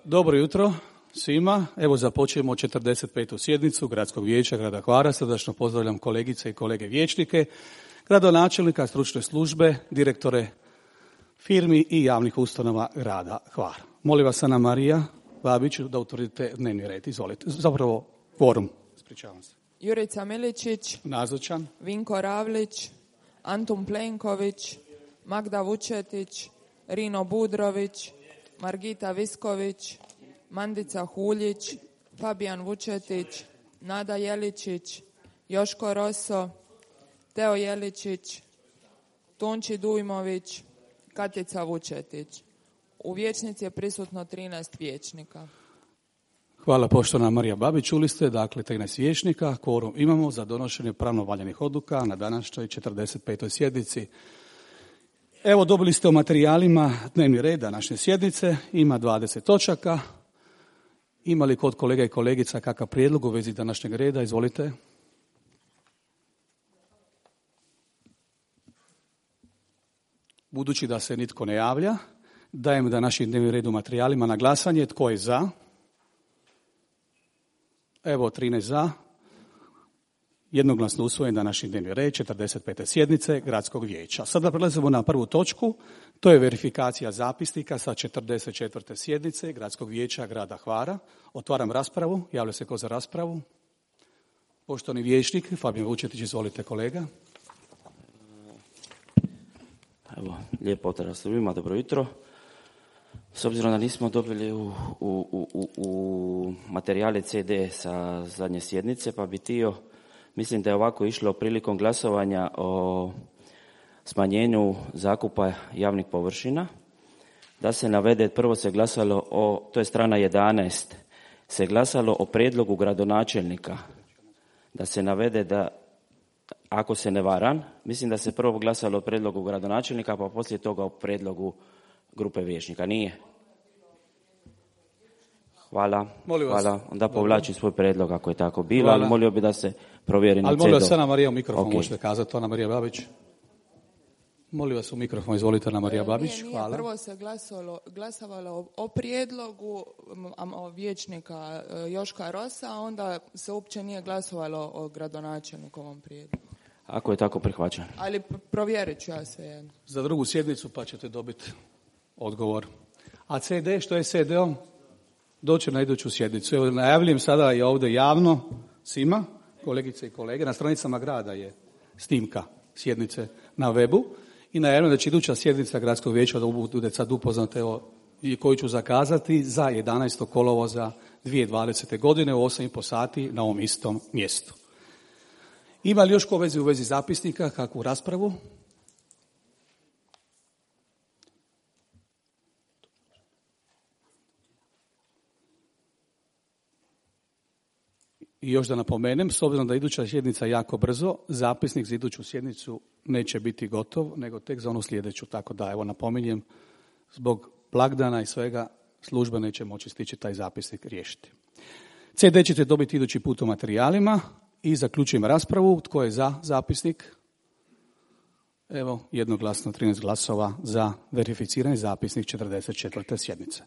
Dobro jutro svima. Evo započujemo 45. sjednicu Gradskog vijeća grada Hvara. Srdačno pozdravljam kolegice i kolege vijećnike, gradonačelnika, stručne službe, direktore firmi i javnih ustanova grada Hvara. Molim vas, Ana Marija Babić, da utvrdite dnevni red. Izvolite. Zapravo kvorum. Ispričavam se. Jurica Miličić, nazočan. Vinko Ravlić, Antun Plenković, Magda Vučetić, Rino Budrović, Margita Visković, Mandica Huljić, Fabijan Vučetić, Nada Jeličić, Joško Roso, Teo Jeličić, Tonči Dujmović, Katica Vučetić. U vijećnici je prisutno 13 vijećnika. Hvala poštovana Marija Babić. Čuli ste, dakle, 13 vijećnika. Kvorum imamo za donošenje pravno valjanih odluka na današnjoj 45. sjednici. Evo, dobili ste u materijalima dnevni red današnje sjednice. Ima 20 točaka. Ima li kod kolega i kolegica kakav prijedlog u vezi današnjeg reda? Izvolite. Budući da se nitko ne javlja, dajem današnji dnevni red u materijalima na glasanje. Tko je za? Evo, 13 za. Jednoglasno usvojen današnji dnevni red 45. sjednice Gradskog vijeća. Sada prelazimo na prvu točku. To je verifikacija zapisnika sa 44. sjednice Gradskog vijeća grada Hvara. Otvaram raspravu. Javlja se ko za raspravu? Poštovani vijećnik Fabijan Vučetić, izvolite kolega. Evo, lijep pozdrav svima, dobro jutro. S obzirom da nismo dobili u materijale CD sa zadnje sjednice, pa bi htio, mislim da je ovako išlo prilikom glasovanja o smanjenju zakupa javnih površina, da se navede, prvo se glasalo o, to je strana 11, se glasalo o prijedlogu gradonačelnika, da se navede da, ako se ne varam, mislim da se prvo glasalo o prijedlogu gradonačelnika, pa poslije toga o prijedlogu grupe vijećnika. Nije? Hvala. Hvala. Onda povlačim svoj prijedlog ako je tako bilo, ali molio bi da se provjeri na CD. Ali molim vas, Ana Marija, u mikrofon možete kazati, Ana Marija Babić. Molim vas u mikrofon, izvolite, Ana Marija Babić. Nije. Hvala. Prvo se glasovalo o prijedlogu vijećnika Joška Rosa, a onda se uopće nije glasovalo o gradonačelnikovom prijedlogu. Ako je tako, prihvaćam. Ali provjerit ću ja sve. Za drugu sjednicu pa ćete dobiti odgovor. A CD, što je CD-om? Doći na iduću sjednicu. Evo, najavljujem sada i ovdje javno svima, kolegice i kolege, na stranicama grada je snimka sjednice na webu i najavljujem da će iduća sjednica Gradskog vijeća da bude sad upoznate i koju ću zakazati za 11. kolovoza 2020. godine u 8,5 sati na ovom istom mjestu. Ima li još ko u vezi zapisnika, kakvu raspravu? I još da napomenem, s obzirom da iduća sjednica jako brzo, zapisnik za iduću sjednicu neće biti gotov, nego tek za onu sljedeću. Tako da, evo, napominjem, zbog blagdana i svega, služba neće moći stići taj zapisnik riješiti. CD ćete dobiti idući put u materijalima i zaključujem raspravu. Tko je za zapisnik? Evo, jednoglasno 13 glasova za verificirani zapisnik 44. sjednice.